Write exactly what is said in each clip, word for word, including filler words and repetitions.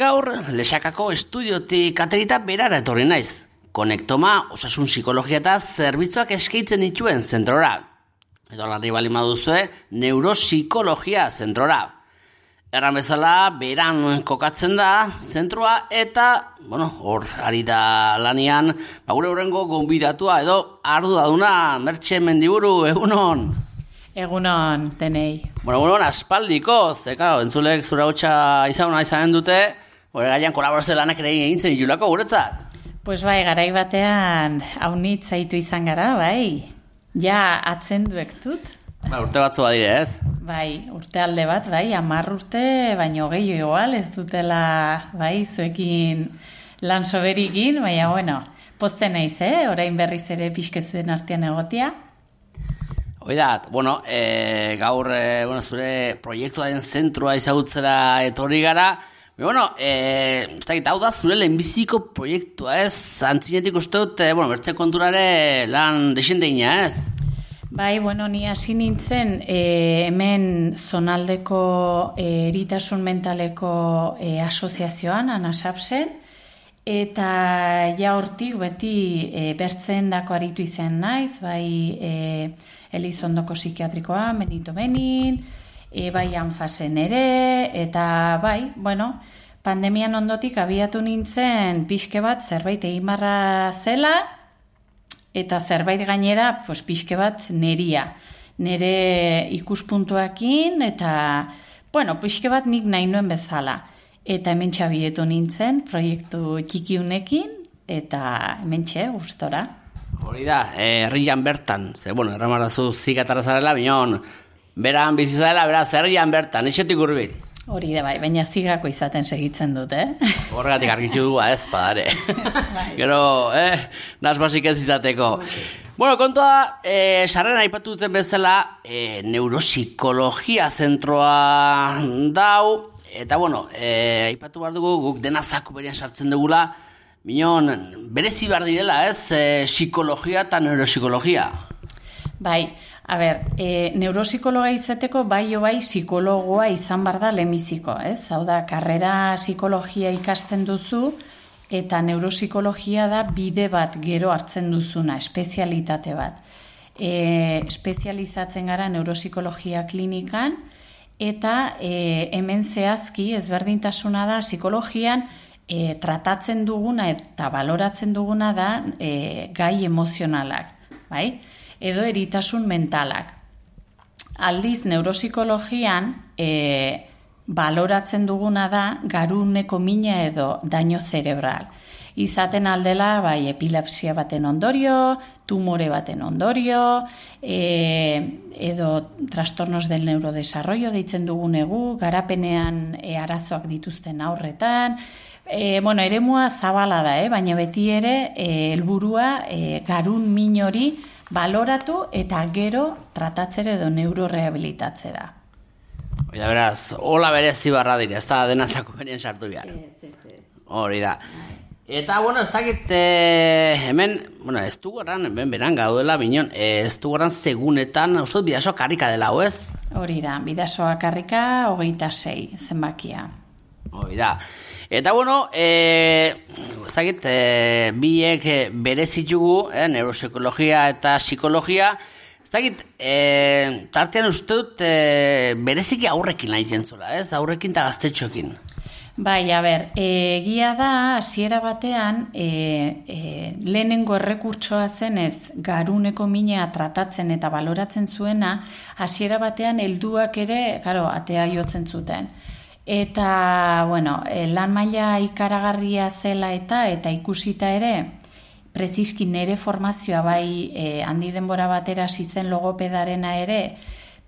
Gaur, Lexakako estudiotik aterita berara etorri naiz. Konektoma osasun psikologia eta zerbitzuak eskaintzen dituen zentrora. Edo larri bali maduzue, neuropsikologia zentrora. Erran bezala, beran kokatzen da zentroa eta, bueno, hor ari da lanian, ba, gure horrengo gonbidatua edo arduraduna, Mertxe Mendiburu, egunon. Egunon, tenei. Bueno, bueno, aspaldiko, ze, claro, entzulek zura hotxa izan izanen dute, hori gaian kolaborazio lanak ere egin zen julako guretzat. Pues bai, garai batean haunitz zaitu izan gara, bai. Ja, atzenduek dut. Ba, urte batzu badire, ez? Bai, urte alde bat, bai, hamar urte, baino gehiago igual, ez dutela, bai, zuekin lan soberikin, baina, bueno, pozten naiz, eh? Orain berriz ere pixkezuen artean egotia. Oidat, bueno, e, gaur, e, bueno, zure proiektuaren zentroa izagutzera etorri gara, e, bueno, e, ez dakit, hau da zure lehenbiziko proiektua, ez? Antzinetik uste dut, e, bueno, bertze konturare lan desendeina, ez? Bai, bueno, ni hasi nintzen e, hemen zonaldeko e, eritasun mentaleko e, asoziazioan, ANASAPSen, eta ja hortik beti e, bertzen dako aritu izan naiz, bai e, Elizondoko psikiatrikoa, Benito Benin, e, bai Anfasen ere, eta bai, bueno, pandemian ondotik abiatu nintzen pixke bat zerbait egin barra zela, eta zerbait gainera, pues, pixke bat neria. Nere ikuspuntuakin, eta, bueno, pixke bat nik nahi nuen bezala. Eta hemen txabietu nintzen, proiektu txikiunekin, eta hemen txe, gustora. Hori da, herrian bertan, ze, bueno, erramarazu zikatara zarela, binon, beran bizizarela, beraz, herrian bertan, etxetik hurbil. Hori da, bai, baina zigako izaten segitzen dut, eh? Horregatik argitu du, ez, padare. Gero, eh, nasbasik ez izateko. Okay. Bueno, kontua, eh, sarrera aipatu duten bezala, eh, neuropsikologia zentroa dau, eta, bueno, eh, aipatu behar dugu, guk dena zaku berian sartzen dugula, minon, berezi behar direla, ez, eh, psikologia eta neuropsikologia. Bai, a ber, e, neuropsikologa izateko bai o bai psikologoa izan bar da lehenbiziko, ez? Hau da, karrera psikologia ikasten duzu, eta neuropsikologia da bide bat gero hartzen duzuna, espezialitate bat. E, espezializatzen gara neuropsikologia klinikan, eta e, hemen zehazki ezberdintasuna da psikologian e, tratatzen duguna eta baloratzen duguna da e, gai emozionalak, bai? Edo eritasun mentalak. Aldiz, neuropsikologian e, baloratzen duguna da garuneko mina edo daño cerebral. Izaten aldela, bai, epilepsia baten ondorio, tumore baten ondorio, e, edo trastornos del neurodesarrollo deitzen dugunegu, garapenean e, arazoak dituzten aurretan, e, bueno, eremua zabala da, eh? Baina beti ere e, helburua e, garun min hori baloratu eta gero tratatzera edo neurorehabilitatzera. Oida, beraz, hola berezi barra dira, ez da dena zako berien sartu behar. Ez, ez, ez. Hori da. Eta, bueno, ez dakit, e, hemen, bueno, ez du gorran, hemen beran gaudela, binon, ez du gorran segunetan, uste dut bidasoa karrika dela, ez? Hori da, bidasoa karrika, hogeita sei, zenbakia. Hori da. Eta, bueno, e, zagit, e, biek berezitugu, e, neuropsikologia eta psikologia, zagit, e, tartean uste dut e, bereziki aurrekin nahi zula, ez? Aurrekin eta gaztetxoekin. Bai, a ber, egia da, hasiera batean, e, e, lehenengo errekurtsoa zenez, garuneko mina tratatzen eta baloratzen zuena, hasiera batean helduak ere, claro, atea jotzen zuten. Eta, bueno, lan maila ikaragarria zela eta eta ikusita ere, preziski nere formazioa bai e, handi denbora batera zizen logopedarena ere,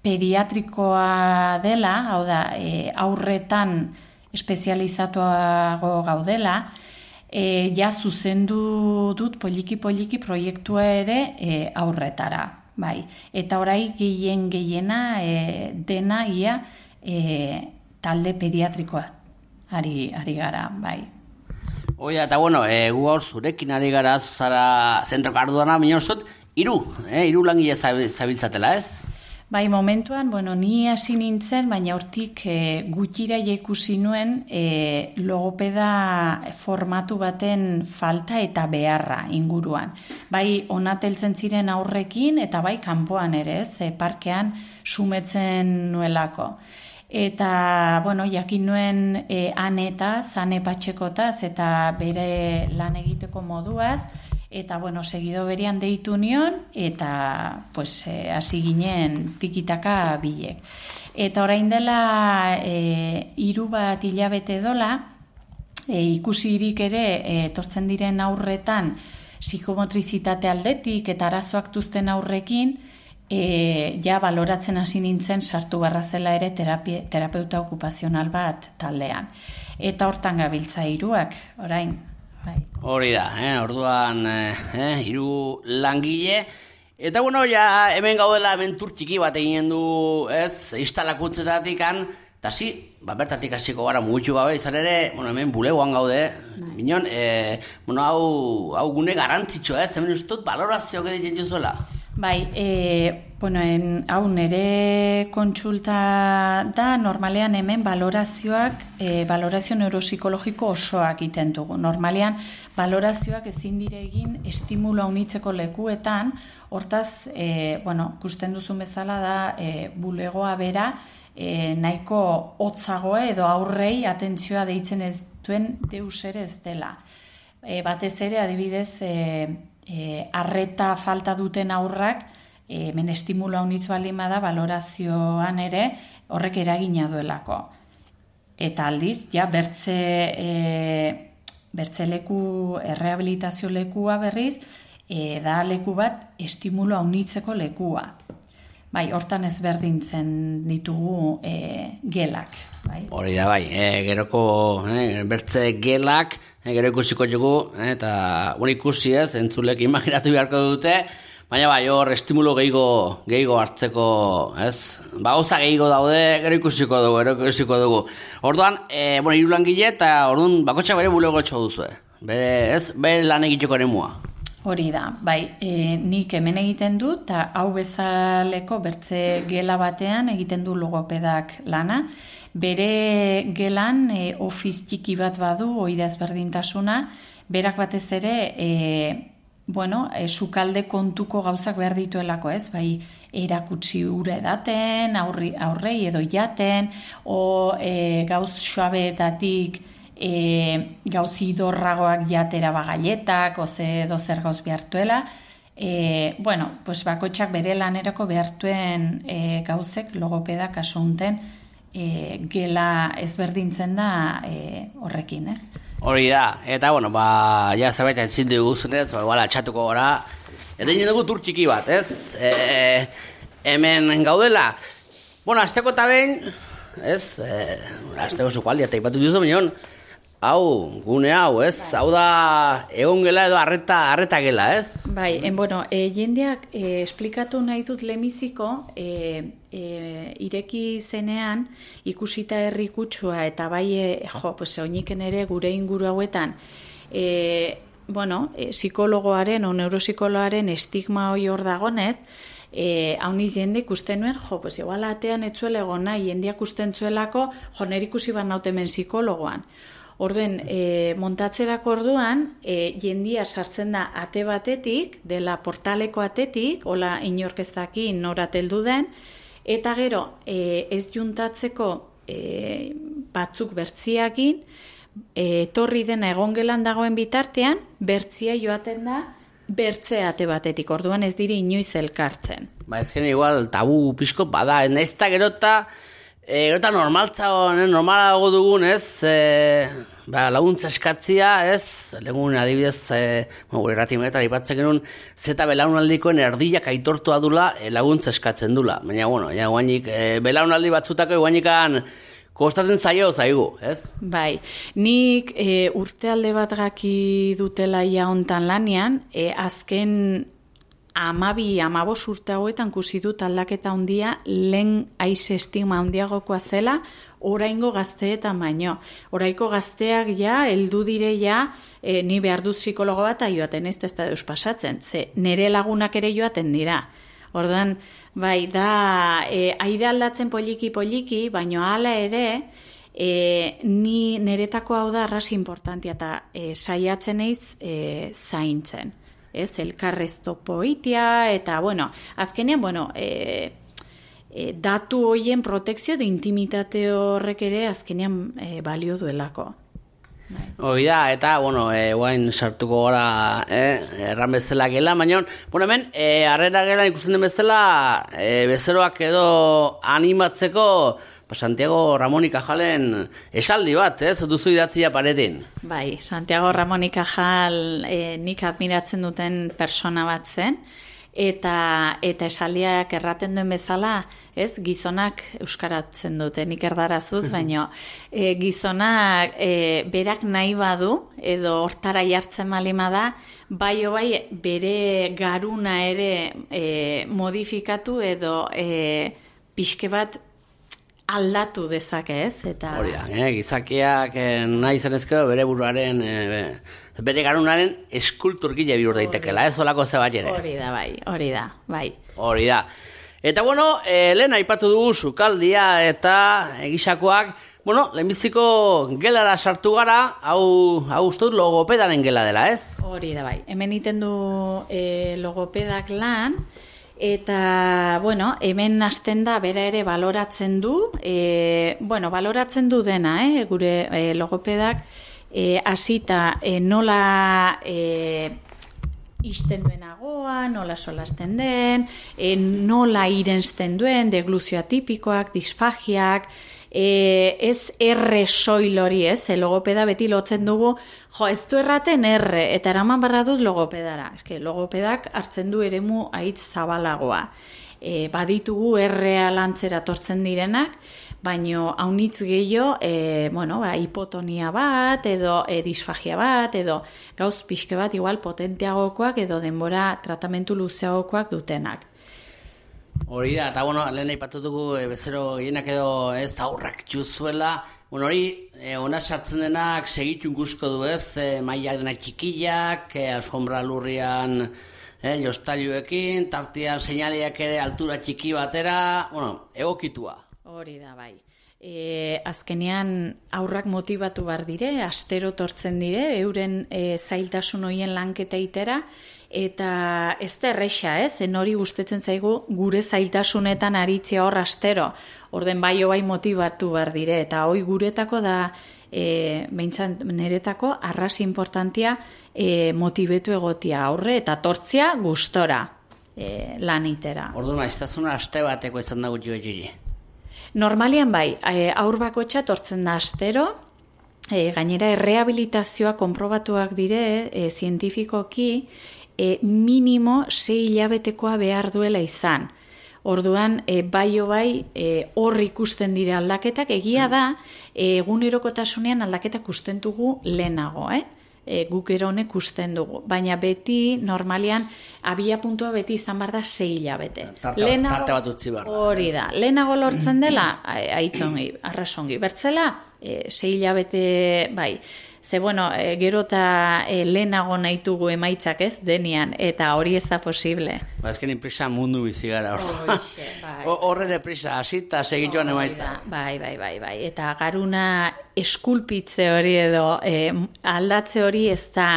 pediatrikoa dela, hau da, e, aurretan espezializatuago gaudela, e, ja zuzendu dut poliki-poliki proiektua ere e, aurretara, bai. Eta orai gehien gehiena e, dena ia e, talde pediatrikoa ari, ari gara, bai. Oia, eta bueno, e, gu hor zurekin ari gara, zuzara zentroko arduana, minor zut, iru, eh, iru langile zabiltzatela, ez? Bai, momentuan, bueno, ni hasi nintzen, baina hortik e, gutxira ikusi nuen e, logopeda formatu baten falta eta beharra inguruan. Bai, onateltzen ziren aurrekin eta bai kanpoan ere, ez, e, parkean sumetzen nuelako. Eta, bueno, jakin nuen e, anetaz, ane patxekotaz eta bere lan egiteko moduaz, eta, bueno, segido berian deitu nion, eta, pues, hasi e, ginen tikitaka bilek. Eta orain dela e, hiru bat hilabete dola, e, ikusirik ere, e, etortzen diren aurretan, psikomotrizitate aldetik eta arazoak duzten aurrekin, e, ja baloratzen hasi nintzen sartu barra zela ere terapia, terapeuta okupazional bat taldean. Eta hortan gabiltza hiruak, orain. Bai. Hori da, eh? Orduan eh, hiru langile. Eta bueno, ja hemen gaudela mentur txiki bat eginen du, ez, instalakuntzetatik kan, eta zi, ba, bertatik hasiko gara mugitu gabe, izan ere, bueno, hemen bulegoan gaude, bai. Minon, eh, bueno, hau, hau gune garantzitxo, ez, hemen ustut balorazio egiten juzuela. Bai, e, bueno, en, hau nere kontsulta da, normalean hemen balorazioak, e, balorazio neuropsikologiko osoak egiten dugu. Normalean, balorazioak ezin dire egin estimula unitzeko lekuetan, hortaz, e, bueno, ikusten duzun bezala da, e, bulegoa bera, e, nahiko hotzagoa edo aurrei atentzioa deitzen ez duen deus ere ez dela. E, batez ere, adibidez, e, E, arreta falta duten aurrak, e, men estimula unitz balima da, valorazioan ere horrek eragina duelako. Eta aldiz, ja, bertze, e, bertze leku, errehabilitazio lekua berriz, e, da leku bat estimula unitzeko lekua. Bai, hortan ezberdintzen ditugu e, gelak. Bai. Hori da, bai, e, geroko e, bertze gelak, e, gero ikusiko dugu, e, eta hori ikusi ez, entzulek imaginatu beharko dute, baina bai, hor estimulo gehigo, gehigo hartzeko, ez, ba, gauza gehigo daude, gero ikusiko dugu, gero ikusiko dugu. Orduan, e, bueno, hiru langile eta orduan bakotxak bere bulego etxo duzu, bere, ez, bere lan egiteko eremua. Hori da, bai, e, nik hemen egiten du, eta hau bezaleko bertze gela batean egiten du logopedak lana. Bere gelan e, ofiz txiki bat badu, oida ezberdintasuna, berak batez ere, e, bueno, e, sukalde kontuko gauzak behar dituelako, ez? Bai, erakutsi ura edaten, aurri, aurrei edo jaten, o e, gauz suabeetatik, E, gauz idorragoak jatera bagailetak, oze edo zer gauz behartuela. E, bueno, pues bakotxak bere lanerako behartuen e, gauzek logopeda kasu unten e, gela ezberdintzen da e, horrekin, ez? Hori da, eta bueno, ba, ja zerbait entzin dugu zunez, ba, igual atxatuko gora. Eta egin dugu tur txiki bat, ez? E, hemen gaudela. Bueno, azteko eta behin, ez? E, azteko zukaldia eta ipatu duzu, minon, hau, gune hau, ez? Bai. Hau da egon gela edo arreta, arreta gela, ez? Bai, en, bueno, e, jendeak e, esplikatu nahi dut lemiziko, e, e, ireki zenean, ikusita herri kutsua, eta bai, e, jo, pues, oiniken ere gure inguru hauetan, e, bueno, e, psikologoaren o neuropsikologoaren estigma hori hor dagonez, E, hauniz jende ikusten nuen, jo, pues igual atean etzuela egon nahi, jendeak usten zuelako, jo, nire ikusi bat nautemen psikologoan. Orduen, e, montatzerako orduan, e, jendia sartzen da ate batetik, dela portaleko atetik, hola inorkezaki norateldu den, eta gero, e, ez juntatzeko e, batzuk bertziakin, e, torri dena egongelan dagoen bitartean, bertzia joaten da, bertze ate batetik, orduan ez diri inoiz elkartzen. Ba, ezken igual tabu pixko bada, ez da gerota, e, gerota normaltza, normalago dugun, ez, e, ba, laguntza eskatzia, ez, legun adibidez, e, gure ratimetan ipatzen genuen, zeta belaunaldikoen erdiak aitortua dula, e, laguntza eskatzen dula. Baina, bueno, ja, guainik, e, belaunaldi batzutako guainikan, kostatzen zaio zaigu, ez? Bai, nik e, urte alde bat gaki dutela ia hontan lanian, e, azken amabi, amabos urte hauetan kusi dut aldaketa handia lehen aize estigma handiagokoa zela, oraingo gazteetan baino. Oraiko gazteak ja, heldu dire ja, e, ni behar dut psikologo bat joaten ez, ez da deus pasatzen, ze nire lagunak ere joaten dira. Orduan, bai, da, e, aide aldatzen poliki-poliki, baino hala ere, e, ni niretako hau da arras importantia eta e, saiatzen eiz e, zaintzen. Ez, elkarrez topoitia, eta, bueno, azkenean, bueno, e, e, datu hoien protekzio de intimitate horrek ere azkenean e, balio duelako. Hoi da, eta, bueno, e, guain sartuko gara, eh, erran bezala gela, baina, bueno, hemen, e, harrera gela ikusten den bezala, e, bezeroak edo animatzeko, ba, Santiago Ramón y Cajalen esaldi bat, ez, duzu idatzia paretin. Bai, Santiago Ramón y Cajal e, nik admiratzen duten persona bat zen, eta eta esaldiak erraten duen bezala, ez, gizonak euskaratzen dute, nik erdarazuz, baina e, gizonak e, berak nahi badu, edo hortara jartzen malima da, bai bai bere garuna ere e, modifikatu edo e, pixke bat aldatu dezake, ez? Eta hori da, eh, gizakiak eh, nahi zenezko bere buruaren, eh, bere garunaren eskulturgile bihur daitekela, ez olako zebat ere. Hori da, bai, hori da, bai. Hori da. Eta bueno, eh, lehen aipatu dugu sukaldia eta egisakoak, bueno, lehenbiziko gelara sartu gara, hau, hau uste dut logopedaren gela dela, ez? Hori da, bai. Hemen iten du eh, logopedak lan, eta, bueno, hemen hasten da bera ere baloratzen du, e, bueno, baloratzen du dena, eh, gure e, logopedak, e, hasita e, nola e, isten duen agoa, nola solasten den, e, nola irensten duen, degluzio atipikoak, disfagiak, E, ez erre soil hori, ez, e, logopeda beti lotzen dugu, jo, ez du erraten erre, eta eraman barra dut logopedara. Eske, logopedak hartzen du eremu haitz zabalagoa. E, baditugu errea lantzera tortzen direnak, baino haunitz gehiago, e, bueno, ba, hipotonia bat, edo e, disfagia bat, edo gauz pixke bat igual potenteagokoak, edo denbora tratamentu luzeagokoak dutenak. Hori da, eta bueno, lehen aipatu dugu e, bezero gehienak edo ez aurrak juzuela, bueno, hori, e, ona sartzen denak segitu ikusko du ez, e, mailak denak txikiak, e, alfombra lurrian e, jostailuekin, tartean seinaleak ere altura txiki batera, bueno, egokitua. Hori da, bai. E, azkenean aurrak motibatu bar dire, astero tortzen dire, euren e, zailtasun hoien lanketa itera, eta ez da erresa, ez? Zen hori gustetzen zaigu gure zailtasunetan aritzea hor astero. Orden bai bai motibatu behar dire, eta hoi guretako da, e, behintzat niretako, arras importantia e, motibetu egotia aurre, eta tortzia gustora e, lanitera. Orduan, maiztasuna aste bateko izan da gutxi gutxi. Normalian bai, e, aur bakotxa tortzen da astero, e, gainera errehabilitazioa konprobatuak dire, e, zientifikoki, E, minimo sei hilabetekoa behar duela izan. Orduan, e, bai o bai, e, hor ikusten dira aldaketak, egia da, e, egunerokotasunean aldaketak usten dugu lehenago, eh? E, guk ero honek usten dugu. Baina beti, normalian, abia puntua beti izan behar da sei hilabete. Tarte, lehenago, tarte bat utzi behar da. Hori da. Lehenago lortzen dela, aitzongi, arrasongi. Bertzela, e, sei hilabete, bai, ze, bueno, e, gero eta e, lehenago nahitugu emaitzak ez, denian, eta hori ez da posible. Ba, ezken inprisa mundu bizi gara hor. Bai. Horre prisa, hasita segituan emaitza. Bai, bai, bai, bai. Eta garuna eskulpitze hori edo e, aldatze hori ez da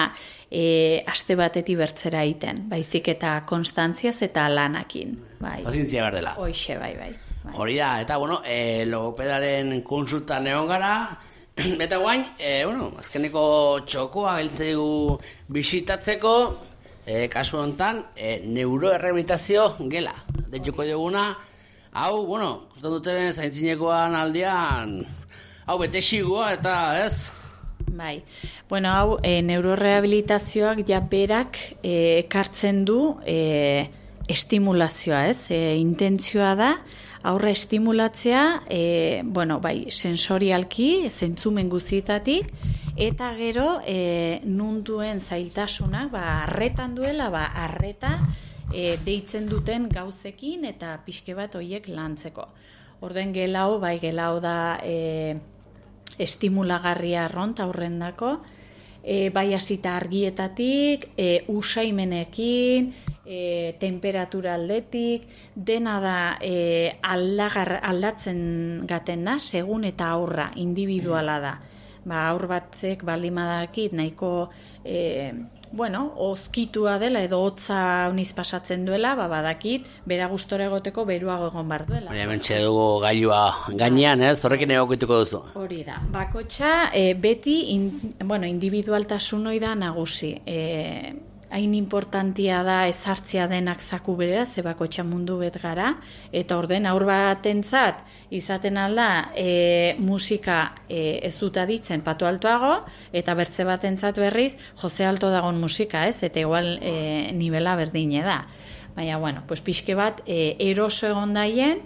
e, aste batetik bertzera egiten. Baizik eta konstantziaz eta lanakin. Bai. Pazientzia behar dela. Hoixe, bai, bai. bai. Hori da, eta bueno, e, logopedaren konsultan egon gara, eta guain, e, bueno, azkeneko txokoa beltzegu bisitatzeko, e, kasu honetan, e, neuroerrehabilitazio gela. Deituko dioguna, hau, bueno, ikusten duten zaintzinekoan aldean, hau bete xigua eta ez? Bai, bueno, hau, e, neurorehabilitazioak ja berak e, ekartzen du e, estimulazioa, ez? E, intentzioa da, aurra estimulatzea, e, bueno, bai, sensorialki, zentzumen guzietatik, eta gero, e, nunduen zailtasunak, ba, arretan duela, ba, arreta e, deitzen duten gauzekin, eta pixke bat hoiek lantzeko. Orden gelau, bai, gelau da e, estimulagarria arront aurrendako, e, bai hasita argietatik, e, usaimenekin, e, temperatura aldetik, dena da e, aldagar, aldatzen gaten da, segun eta aurra, individuala da. Ba, aur batzek balimadakit nahiko e, bueno, ozkitua dela edo hotza uniz pasatzen duela, ba, badakit, bera gustora egoteko beruago egon bar duela. Hori hementxe dugu gailua gainean, ez? Horrekin egokituko duzu. Hori da. Bakotxa, e, beti in, bueno, individualtasun hori da nagusi. E, hain importantia da ezartzea denak zaku berera, ze bakotxa mundu bet gara, eta orden aur batentzat izaten alda e, musika e, ez dut aditzen patu altoago, eta bertze batentzat berriz jose alto dagon musika, ez? Eta igual e, nivela berdine da. Baina, bueno, pues pixke bat e, eroso egon daien,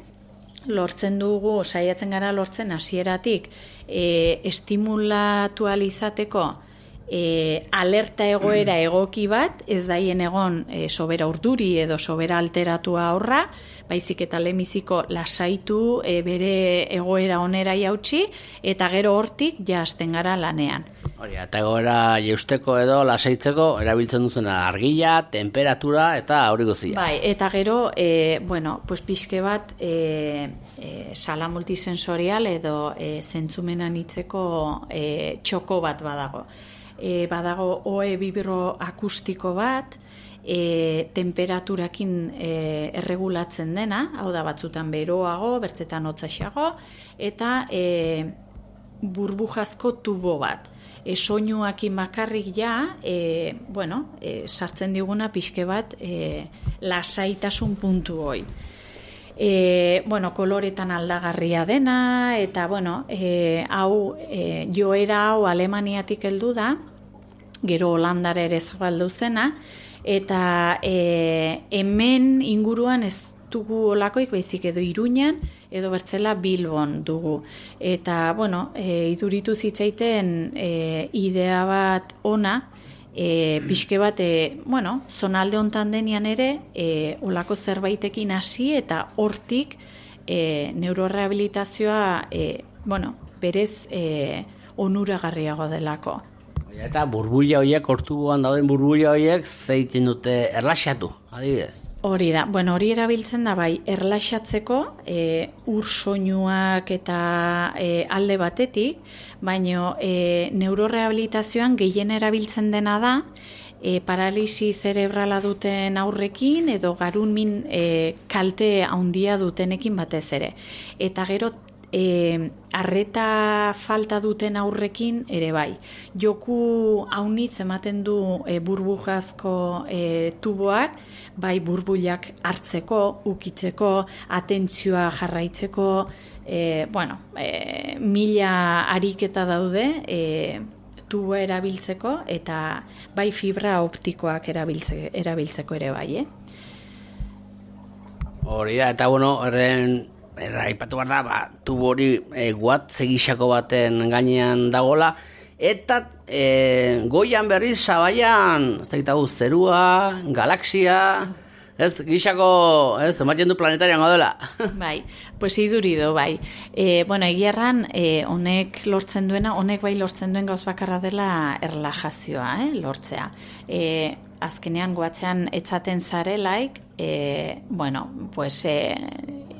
lortzen dugu, saiatzen gara lortzen hasieratik e, estimulatu alizateko E, alerta egoera egoki bat, ez daien egon e, sobera urduri edo sobera alteratua aurra, baizik eta lemiziko lasaitu e, bere egoera onera jautsi, eta gero hortik ja hasten gara lanean. Hori, eta egoera jeusteko edo lasaitzeko erabiltzen duzuna argia, temperatura eta hori guztia. Bai, eta gero, e, bueno, pues pixke bat e, e, sala multisensorial edo e, zentzumenan hitzeko e, txoko bat badago. E, badago oe bibro akustiko bat, e, temperaturakin e, erregulatzen dena, hau da batzutan beroago, bertzetan hotzaxeago, eta e, burbujazko tubo bat. E, soinuakin bakarrik ja, e, bueno, e, sartzen diguna pixke bat e, lasaitasun puntu hoi. E, bueno, koloretan aldagarria dena, eta bueno, e, hau, e, joera hau Alemaniatik heldu da, gero Holandara ere zabaldu zena, eta e, hemen inguruan ez dugu olakoik, baizik edo Iruñan, edo bertzela Bilbon dugu. Eta, bueno, e, iduritu zitzaiten e, idea bat ona, E, pixke bat, e, bueno, zonalde hontan denian ere, e, olako zerbaitekin hasi eta hortik e, neurorehabilitazioa, e, bueno, berez e, onuragarriago delako. Eta burbuila horiek, hortuan dauden burbuila horiek, zeiten dute erlaxatu, adibidez? Hori da, bueno, hori erabiltzen da bai, erlaxatzeko e, ur soinuak eta e, alde batetik, baina e, neurorehabilitazioan gehien erabiltzen dena da, e, paralisi zerebrala duten aurrekin edo garun min e, kalte handia dutenekin batez ere. Eta gero E, arreta falta duten aurrekin ere bai. Joku haunitz ematen du e, burbujazko e, tuboak, bai burbulak hartzeko, ukitzeko, atentzioa jarraitzeko, e, bueno, e, mila ariketa daude e, tuboa erabiltzeko, eta bai fibra optikoak erabiltze, erabiltzeko ere bai, eh? Hori da, eta bueno, erren aipatu behar da, ba, tubo hori e, guat zegisako baten gainean dagola, eta e, goian berriz sabaian, ez da gitagu, zerua, galaxia, ez, gisako, ez, ematen du planetarian gaudela. Bai, pues idurido, bai. E, bueno, egiarran, e, honek lortzen duena, honek bai lortzen duen gauz bakarra dela erlajazioa, eh, lortzea. E, azkenean guatzean etzaten zarelaik, e, bueno, pues, e,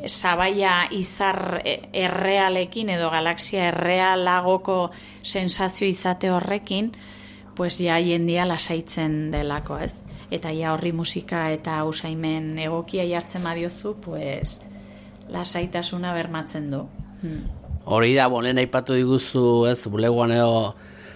sabaia izar errealekin edo galaxia errealagoko sensazio izate horrekin, pues ja jendia lasaitzen delako, ez? Eta ja horri musika eta usaimen egokia jartzen badiozu, pues lasaitasuna bermatzen du. Hmm. Hori da, bolen aipatu diguzu, ez, buleguan edo,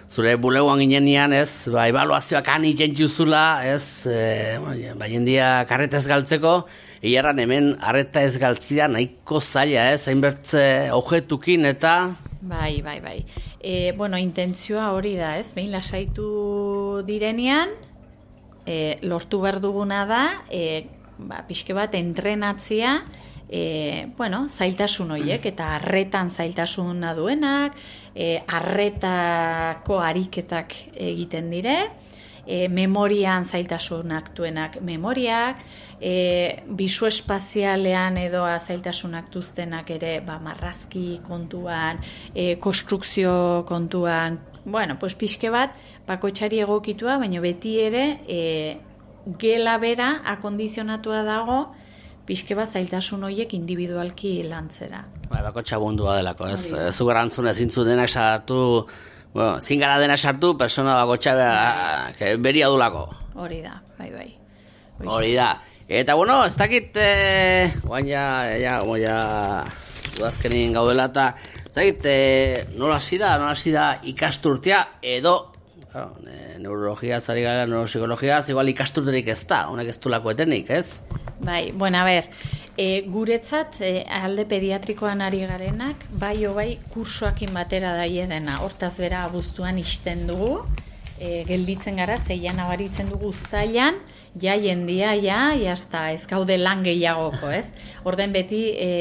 zure buleguan ginenean, ez, ba, ebaluazioak han iten juzula, ez, e, ba, jendia karretez galtzeko, Iarran hemen arreta ez galtzia nahiko zaila, ez, hainbertze ojetukin eta... Bai, bai, bai. E, bueno, intentzioa hori da, ez, behin lasaitu direnean, e, lortu behar duguna da, e, ba, pixke bat entrenatzia, e, bueno, zailtasun horiek, eta arretan zailtasuna duenak, e, arretako ariketak egiten dire, E, memorian zailtasunak duenak memoriak, e, bisu espazialean edo zailtasunak duztenak ere ba, marrazki kontuan, e, konstrukzio kontuan, bueno, pues pixke bat, bakoitzari egokitua, baina beti ere e, gela bera akondizionatua dago, pixke bat zailtasun horiek individualki lantzera. Bai, bako txabundua delako, ez? Zu garantzun ezin zu denak sartu, bueno, zin gara denak sartu, persona bako txabea beria dulako. Hori da, bai, bai. Hori da. Eta, bueno, ez dakit, eh, guain ja, ja, ja, udazkenin gaudela, eta, ez dakit, eh, nola hasi da, nola hasi da ikasturtea, edo, claro, neurologia, zari gara, neuropsikologia, igual ikasturterik ez da, honek ez du lako etenik, ez? Bai, bueno, a ber, e, guretzat e, alde pediatrikoan ari garenak, bai o bai kursoakin batera daie dena, hortaz bera abuztuan isten dugu, e, gelditzen gara, zeian abaritzen dugu uztailan, ja jendia, ja, jazta, ez gaude lan gehiagoko, ez? Orden beti, e,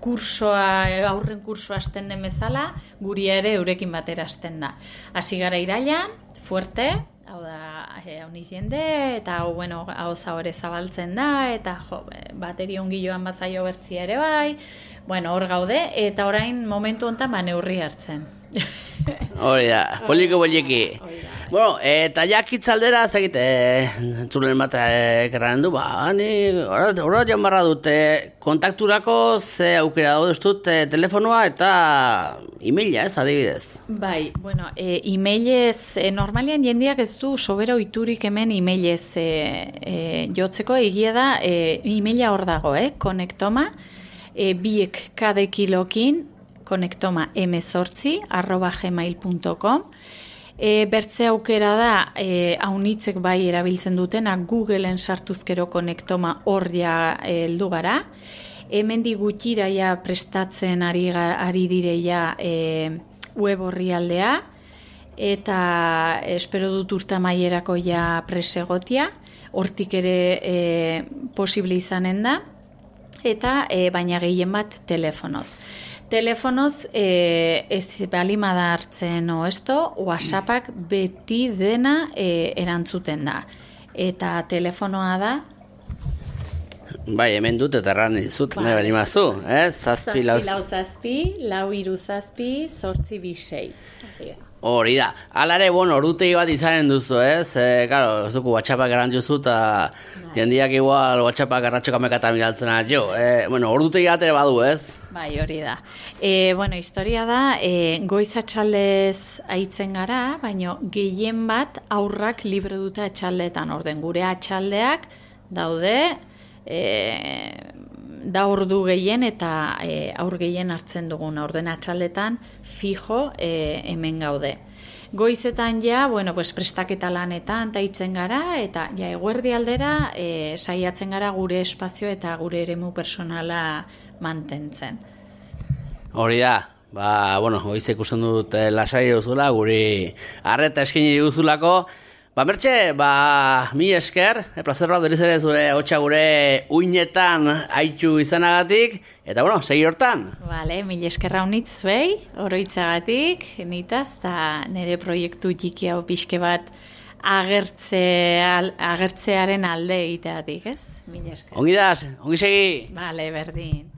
kursoa, aurren kursoa hasten den bezala, guri ere eurekin batera hasten da. Hasi gara irailan, fuerte, hau da, hau jende, eta hau, bueno, hau zaure zabaltzen da, eta jo, bateri ongi joan bazaio bertzia ere bai, bueno, hor gaude, eta orain momentu honetan ba neurri hartzen. Hori da, poliko poliki. Bueno, eta jakitzaldera, zegit, e, zuren bat ekerraren du, ba, ni, horra joan barra dute, kontakturako ze aukera daude dut e, telefonoa eta e-maila, ez, adibidez. Bai, bueno, e, e-mailez, e, normalian jendeak ez du sobera oiturik hemen e-mailez e, e, jotzeko, egia da, e, e-maila hor dago, eh, konektoma, e, biek kade kilokin, konektoma emezortzi, arroba gmail punto com. E, bertze aukera da, e, haunitzek bai erabiltzen dutena, Googleen sartuzkero konektoma hor ja heldu gara. Hemendik gutxira ja prestatzen ari, ari direia e, web orrialdea, eta espero dut urtamaierako ja presegotia, hortik ere e, posible izanen da, eta e, baina gehien bat telefonoz. Telefonoz, eh, ez balimada hartzen o esto, WhatsAppak beti dena eh, erantzuten da. Eta telefonoa da? Bai, hemen dut eta erran dizut, nahi balimazu, eh? Zazpi, lau zazpi, lau iru zazpi, zortzi bisei. Hori da. Alare, bueno, orutegi bat izanen duzu, ez? E, claro, ez dugu WhatsAppak eran duzu, eta jendiak igual WhatsAppak arratxoka mekatan miraltzen jo. E, bueno, orutegi bat ere badu, ez? Bai, hori da. E, bueno, historia da, e, goiz atxaldez aitzen gara, baina gehien bat aurrak libre dute atxaldetan orden. Gure atxaldeak daude, e, da ordu gehien eta e, aur gehien hartzen duguna, orden atxaldetan fijo e, hemen gaude. Goizetan ja, bueno, pues prestaketa lanetan taitzen gara, eta ja eguerdi aldera e, saiatzen gara gure espazio eta gure eremu personala mantentzen. Hori da, ba, bueno, goize ikusten dut eh, lasai duzula, guri arreta eskini duzulako. Ba, Mertxe, ba, mi esker, e, plazer bat beriz ere zure hotxa gure uinetan haitu izanagatik, eta bueno, segi hortan. Vale, mil eskerra unitz zuei, oroitzagatik, nitaz, eta nire proiektu txiki hau pixke bat agertze, al, agertzearen alde egiteatik, ez? Mil esker. Ongi daz, ongi segi. Vale, berdin.